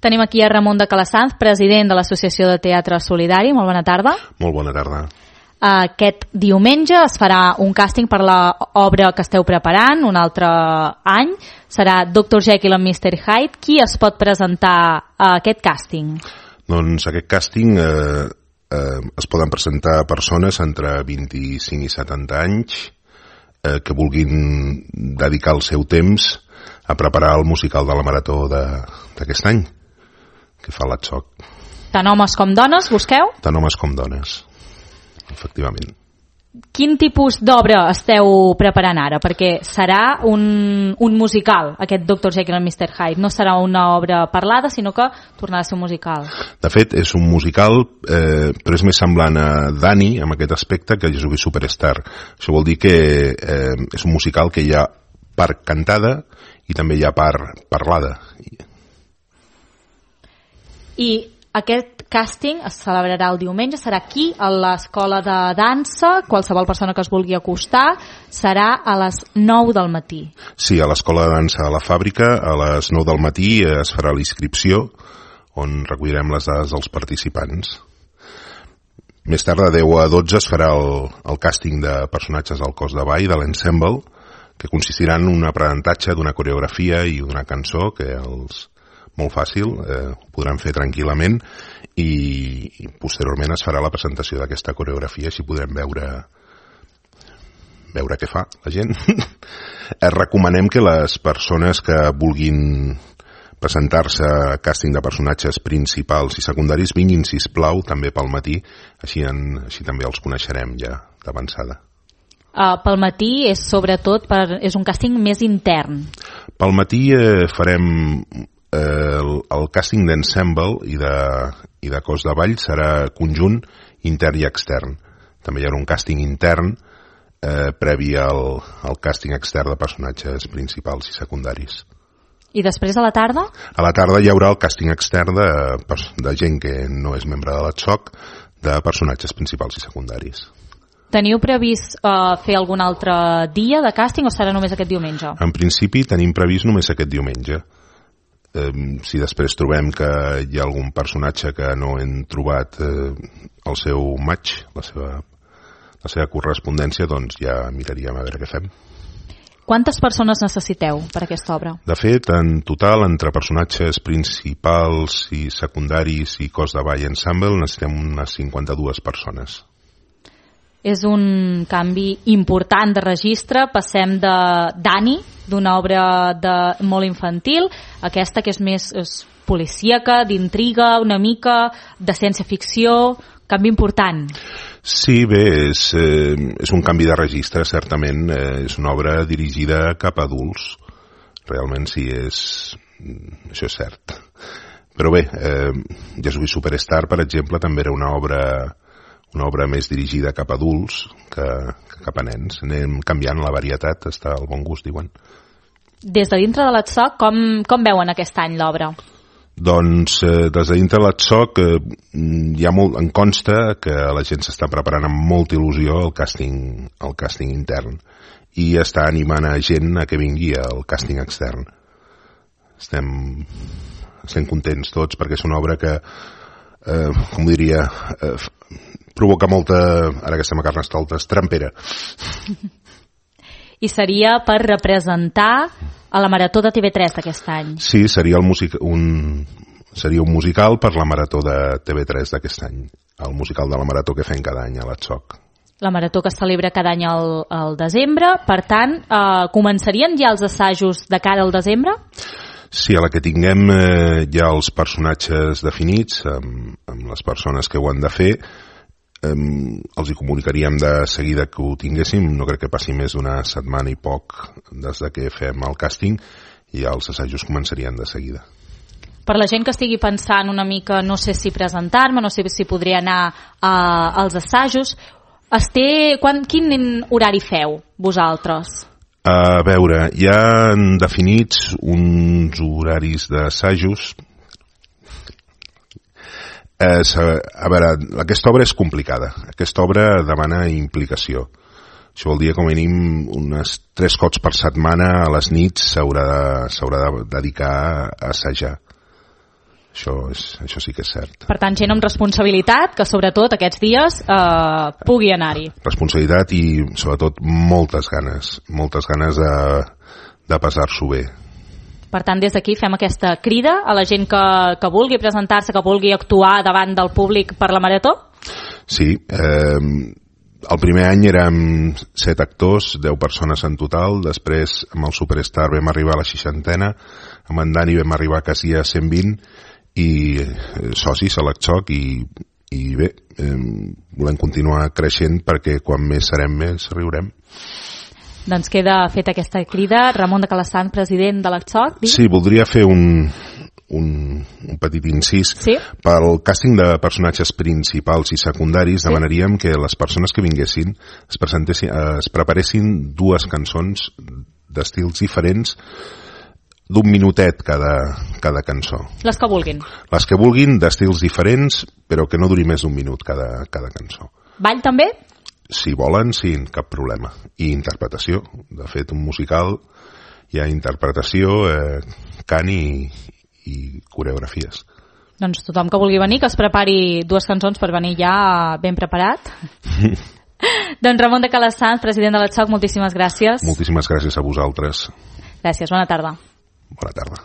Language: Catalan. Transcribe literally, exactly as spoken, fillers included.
Tenim aquí a Ramon de Calasanz, president de l'Associació de Teatre Solidari. Molt bona tarda. Molt bona tarda. Aquest diumenge es farà un càsting per l'obra que esteu preparant, un altre any. Serà doctor Jekyll and mister Hyde. Qui es pot presentar a aquest càsting? Doncs aquest càsting eh, eh, es poden presentar persones entre vint-i-cinc i setanta anys eh, que vulguin dedicar el seu temps a preparar el musical de la Marató d'aquest any, que fa l'A T S O C. Tant homes com dones, busqueu? Tant homes com dones, efectivament. Quin tipus d'obra esteu preparant ara? Perquè serà un, un musical, aquest doctor Jekyll and mister Hyde. No serà una obra parlada, sinó que tornarà a ser un musical. De fet, és un musical, eh, però és més semblant a Dani, amb aquest aspecte, que Jesuí Superstar. Això vol dir que eh, és un musical que hi ha part cantada i també hi ha part parlada. I aquest càsting es celebrarà el diumenge, serà aquí, a l'Escola de Dansa. Qualsevol persona que es vulgui acostar, serà a les nou del matí. Sí, a l'Escola de Dansa a la Fàbrica, a les nou del matí es farà la inscripció, on recollirem les dades dels participants. Més tard, de deu a dotze, es farà el, el càsting de personatges del cos de ball, de l'ensemble, que consistirà en un aprenentatge d'una coreografia i d'una cançó, que els molt fàcil, eh, ho podran fer tranquil·lament, i, i posteriorment es farà la presentació d'aquesta coreografia, així podrem veure veure què fa la gent. Recomanem que les persones que vulguin presentar-se a càsting de personatges principals i secundaris vinguin, sisplau, també pel matí, així, en, així també els coneixerem ja d'avançada. Uh, pel matí és sobretot per, és un càsting més intern. Pel matí eh, farem eh, el, el càsting d'ensemble i, de, i de cos de ball serà conjunt intern i extern. També hi haurà un càsting intern eh, previ al, al càsting extern de personatges principals i secundaris. I després a la tarda? A la tarda hi haurà el càsting extern de, de gent que no és membre de l'A T S O C, de personatges principals i secundaris. Teniu previst uh, fer algun altre dia de càsting o serà només aquest diumenge? En principi tenim previst només aquest diumenge. Eh, si després trobem que hi ha algun personatge que no hem trobat eh, el seu match, la seva, la seva correspondència, doncs ja miraríem a veure què fem. Quantes persones necessiteu per aquesta obra? De fet, en total, entre personatges principals i secundaris i cos de ball ensemble, necessitem unes cinquanta-dues persones. És un canvi important de registre. Passem de Dani, d'una obra de, molt infantil, a aquesta que és més és policíaca, d'intriga, una mica de ciència-ficció. Canvi important. Sí, bé, és, eh, és un canvi de registre, certament. Eh, és una obra dirigida cap a adults. Realment sí, és, això és cert. Però bé, eh, Jesuí Superstar, per exemple, també era una obra... una obra més dirigida cap a adults que, que cap a nens. Anem canviant la varietat, està al bon gust, diuen. Des de dintre de l'A T S O C, com, com veuen aquest any l'obra? Doncs eh, des de dintre de l'A T S O C eh, hi ha molt, en consta que la gent s'està preparant amb molta il·lusió el càsting, el càsting intern i està animant a gent a que vingui al càsting extern. Estem, estem contents tots perquè és una obra que, eh, com diria... Eh, provoca molta, ara que estem a Carnestoltes, trampera. I seria per representar a la Marató de T V tres d'aquest any. Sí, seria, el music, un, seria un musical per la Marató de T V tres d'aquest any. El musical de la Marató que fem cada any a l'A T S O C. La Marató que es celebra cada any al, al desembre. Per tant, eh, començarien ja els assajos de cara al desembre? Sí, a la que tinguem eh, ja els personatges definits, amb, amb les persones que ho han de fer, Um, els hi comunicaríem de seguida que ho tinguéssim. No crec que passi més d'una setmana i poc des de que fem el càsting i ja els assajos començarien de seguida. Per la gent que estigui pensant una mica, no sé si presentar-me, no sé si podria anar a, als assajos, es té, quan, quin horari feu vosaltres? A veure, hi ha definits uns horaris d'assajos. Eh, a veure, aquesta obra és complicada. Aquesta obra demana implicació. Això vol dir que com a mínim unes tres cops per setmana a les nits s'haurà de, s'haurà de dedicar a assajar. Això, és, això sí que és cert. Per tant, gent amb responsabilitat, que sobretot aquests dies eh, pugui anar-hi. Responsabilitat i sobretot moltes ganes, moltes ganes de, de passar-s'ho bé. Per tant, des d'aquí fem aquesta crida a la gent que, que vulgui presentar-se, que vulgui actuar davant del públic per la Marató? Sí, eh, el primer any érem set actors, deu persones en total, després amb el Superstar vam arribar a la seixantena, amb en Dani vam arribar quasi a cent vint, i socis a l'Acxoc i, i bé, eh, volem continuar creixent perquè quan més serem més riurem. Doncs queda feta aquesta crida. Ramon de Calassanç, president de l'Acxoc. Sí, voldria fer un, un, un petit incís. Sí? Pel càsting de personatges principals i secundaris, sí, demanaríem que les persones que vinguessin es, presentessin, es preparessin dues cançons d'estils diferents, d'un minutet cada, cada cançó. Les que vulguin. Les que vulguin, d'estils diferents, però que no duri més d'un minut cada, cada cançó. Ball també? Si volen, sí, cap problema. I interpretació. De fet, un musical hi ha interpretació, eh, cant i, i coreografies. Doncs tothom que vulgui venir, que es prepari dues cançons per venir ja ben preparat. Doncs Ramon de Calassanç, president de l'Acxoc, moltíssimes gràcies. Moltíssimes gràcies a vosaltres. Gràcies, bona tarda. Bona tarda.